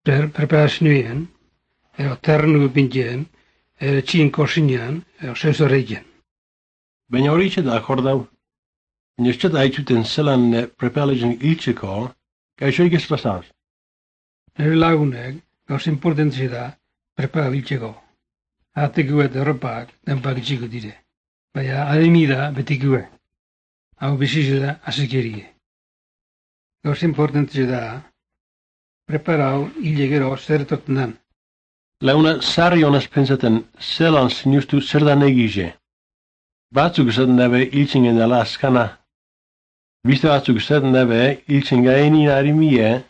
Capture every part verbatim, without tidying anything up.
per preparazioen, edo ternu bintien, edo txin korsinean, edo sensoreiken. Baina hori itxe da akordau. Baina ez da aitzuten zelan preparazioen iltzeko, gaixo ikez pasaz. Nire lagunek, gauz importantzi da, prepara biltzeko. Atekuet erropak denpak itxiko dire. Baina ademi da betikue. Hau bizizela azikerie. Gauz importantzi da, preparau hile gero zer etorten dan. Launa sarri honaz pentsaten zelan sinustu zer da negize. Batzuk esaten dabe iltzingen dela azkana. Biste batzuk esaten dabe iltzen gaenin harimie,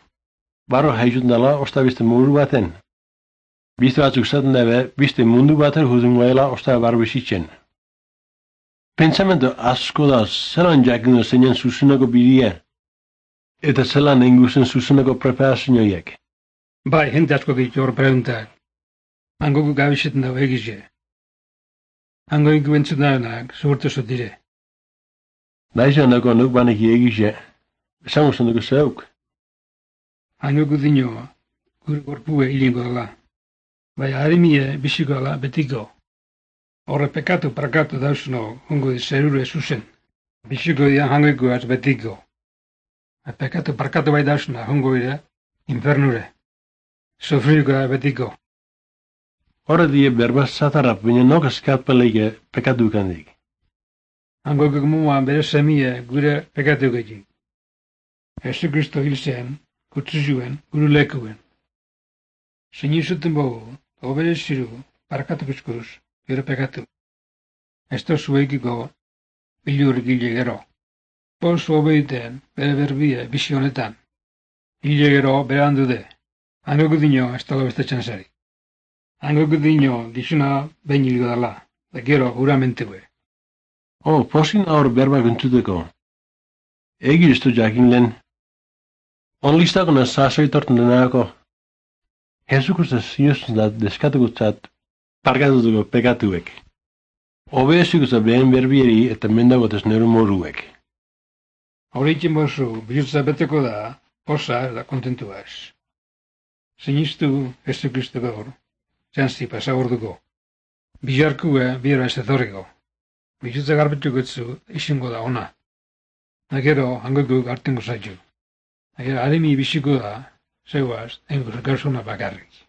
barro haizuten dela osta beste muru baten. Biste batzuk esaten dabe biste mundu baten hudun gaela osta barro bizitzen. Pensamento asko da zelan jakin zeinen zuzunako bidea, eta zelan enguzen zuzunako preparazioiek. Bai, jente asko gitu hor preguntak. Hango gabizetan dago egize. Hango ingo entzut nahenak, zuhurtu zut dire. Naizan dago nuk banek egize, esango zen dugu zeuk. Hango gudino, gure gorpue hilingo dela. Bai, harimie biziko dela betiko. Horre pekatu prakatu dauzno, hongo di zerure zuzen. Biziko dian hango ikuaz betiko. Pekatu prakatu bai dauzna, hongo dira infernure. Sofriko da betiko. Horre die berba zatarrap, baina nok eskatpeleke pekatu kandik. Hango gugumuan bere semie gure pekatu gaitik. Jesu Kristo hil zen, kutsu zuen, guru lekuen. Sinizuten bogu, obere ziru, parakatu bizkuruz, gero pekatu. Ez da zuekiko bilur gile gero. Pozu obeiten, bere berbie, bizi honetan. Gile gero bere handu de. Hango gudino ez tala bestetzen zari. Hango gudino gizuna behin hilgo dala, da gero uramentegue. Oh, posin aur berba guntzuteko. Egi ez du jakin lehen. Onlistako na sasoi torten denako. Jesukusta zinozten da deskatukutzat parkatutuko pekatuek. Obezikuza behen berbieri eta mendagotez nero moruek. Horreikin bozu, bilutza beteko da, posa da kontentua ez. Sinistu Jesu Kristo gaur, zantzi pasa orduko. Bilarkue bira ez etorriko. Bilutza garbetuko etzu izingo da ona. Nagero hangoiko gartengo zaitu. Nagero haremi biziko da, zeuaz, engur gauzuna bakarrik.